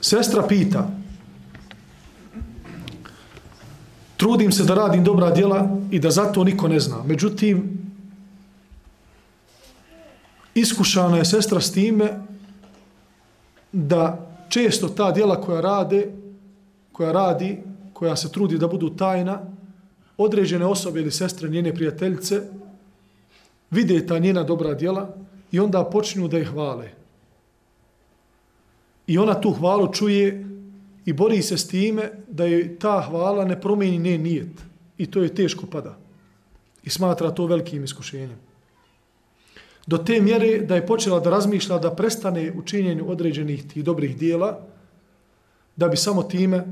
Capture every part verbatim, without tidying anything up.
Sestra pita, trudim se da radim dobra djela i da zato niko ne zna. Međutim, iskušana je sestra s time da često ta djela koja rade, koja radi, koja se trudi da budu tajna, određene osobe ili sestre, njene prijateljice, vide ta njena dobra djela i onda počinju da je hvale. I ona tu hvalu čuje i bori se s time da je ta hvala ne promijeni njen nijet. I to je teško pada. I smatra to velikim iskušenjem. Do te mjere da je počela da razmišlja da prestane u činjenju određenih tih dobrih dijela, da bi samo time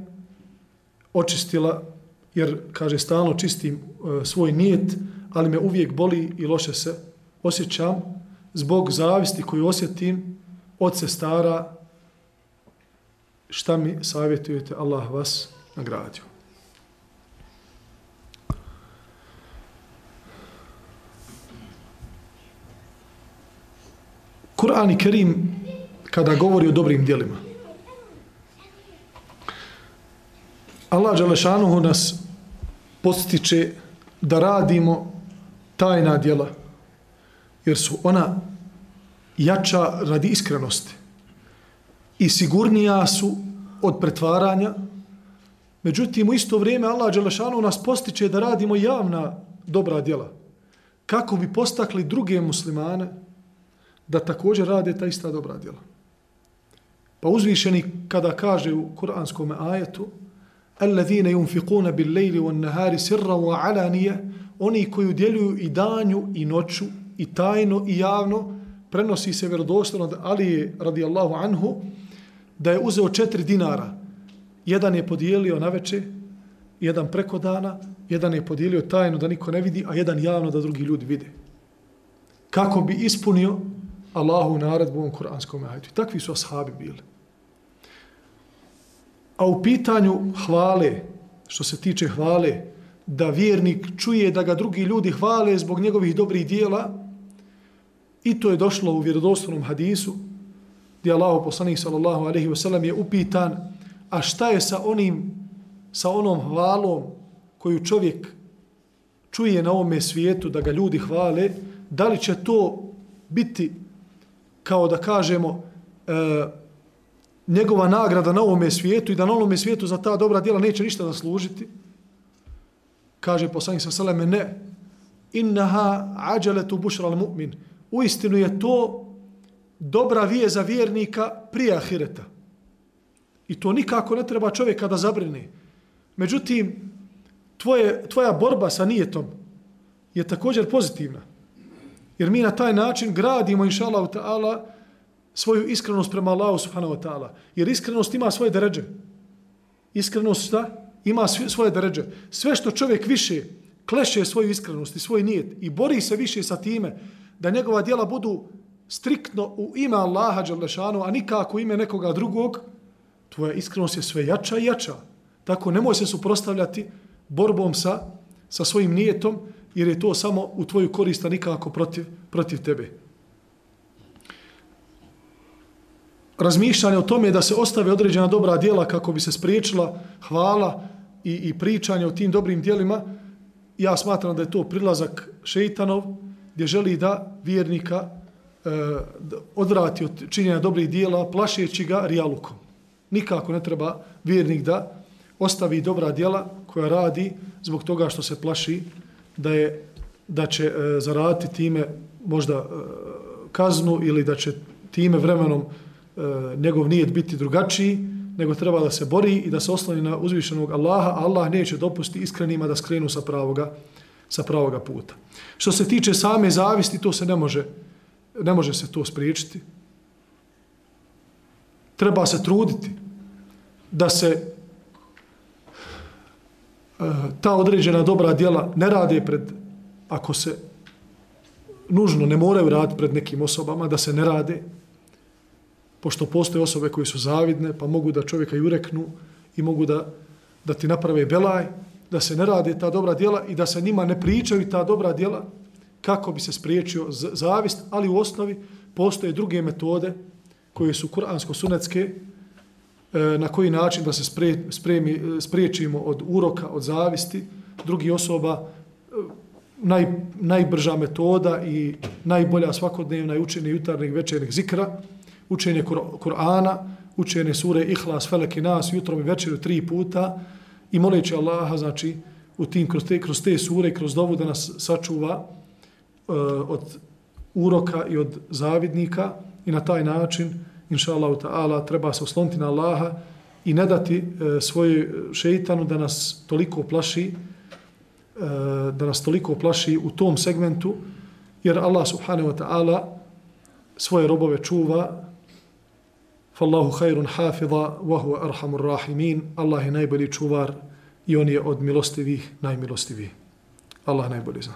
očistila, jer, kaže, stalno čistim e, svoj nijet, ali me uvijek boli i loše se osjećam zbog zavisti koju osjetim od sestara. Šta mi savjetujete? Allah vas nagradio. Kur'an i Kerim kada govori o dobrim djelima, Allah dželešanuhu nas postiče da radimo tajna djela, jer su ona jača radi iskrenosti i sigurnija su od pretvaranja. Međutim, u isto vrijeme Allah dželešanuhu nas postiče da radimo javna dobra djela, kako bi postakli druge muslimane da također rade ta ista dobra djela. Pa uzvišeni kada kaže u kuranskom ajetu الذين ينفقون بالليل والنهار سرا وعلانية, oni koji udjeljuju i danju i noću i tajno i javno, prenosi se vjerodostojno da Ali radijallahu anhu da je uzeo četiri dinara. Jedan je podijelio naveče, jedan preko dana, jedan je podijelio tajno da niko ne vidi, a jedan javno da drugi ljudi vide. Kako bi ispunio Allahu naredbu u ovom kuranskom ajetu. I takvi su ashabi bili. A u pitanju hvale, što se tiče hvale, da vjernik čuje da ga drugi ljudi hvale zbog njegovih dobrih dijela, i to je došlo u vjerodostojnom hadisu, gdje Allahu poslanik sallallahu alejhi ve sellem je upitan, a šta je sa onim, sa onom hvalom koju čovjek čuje na ovome svijetu, da ga ljudi hvale, da li će to biti, kao da kažemo, e, njegova nagrada na ovome svijetu i da na ovome svijetu za ta dobra djela neće ništa zaslužiti? Kaže poslanik sallallahu alejhi ve sellem, ne. Innaha ađaletu bušra al mu'min. Uistinu je to dobra vijest za vjernika prije ahireta. I to nikako ne treba čovjeka da zabrine. Međutim, tvoje, tvoja borba sa nijetom je također pozitivna. Jer mi na taj način gradimo, inša Allah ta'ala, svoju iskrenost prema Allahu subhanahu wa ta'ala. Jer iskrenost ima svoje deređe. Iskrenost šta? Ima svoje deređe. Sve što čovjek više kleše svoju iskrenost i svoj nijet i bori se više sa time da njegova djela budu striktno u ime Allaha dželešanu, a nikako u ime nekoga drugog, tvoja iskrenost je sve jača i jača. Tako nemoj se suprotstavljati borbom sa, sa svojim nijetom, jer je to samo u tvoju korist, a nikako protiv, protiv tebe. Razmišljanje o tome da se ostave određena dobra djela kako bi se spriječila hvala i, i pričanje o tim dobrim djelima, ja smatram da je to prilazak šeitanov, gdje želi da vjernika e, da odvrati od činjenja dobrih djela, plašeći ga rijalukom. Nikako ne treba vjernik da ostavi dobra djela koja radi zbog toga što se plaši da, je, da će e, zaraditi time možda e, kaznu ili da će time vremenom e, njegov nijet biti drugačiji, nego treba da se bori i da se osloni na uzvišenog Allaha, a Allah neće dopustiti iskrenima da skrenu sa pravoga, sa pravoga puta. Što se tiče same zavisti, to se ne može, ne može se to spriječiti. Treba se truditi da se uh, ta određena dobra djela ne rade pred, ako se nužno ne moraju raditi pred nekim osobama, da se ne rade, pošto postoje osobe koje su zavidne, pa mogu da čovjeka jureknu i mogu da, da ti naprave belaj, da se ne rade ta dobra djela i da se njima ne pričaju ta dobra djela kako bi se spriječio zavist, ali u osnovi postoje druge metode koje su kuransko-sunetske, na koji način da se spre, spremi, spriječimo od uroka, od zavisti drugih osoba. Naj, najbrža metoda i najbolja svakodnevna je učenje jutarnjeg večernjeg zikra, učenje Kur'ana, učenje sure Ihlas, Felek i Nas jutrom i večeru tri puta i moleći Allaha, znači, u tim, kroz, te, kroz te sure, kroz dovu da nas sačuva uh, od uroka i od zavidnika i na taj način, inša Allahu ta'ala, treba se osloniti na Allaha i ne dati uh, svoj šeitanu da nas toliko plaši, uh, da nas toliko plaši u tom segmentu, jer Allah subhanahu wa ta'ala svoje robove čuva. Fallahu khairun hafidha wa huwa arhamur rahimin. Allah je najbolji čuvar i on je od milostivih najmilostiviji. Allah najbolji zna.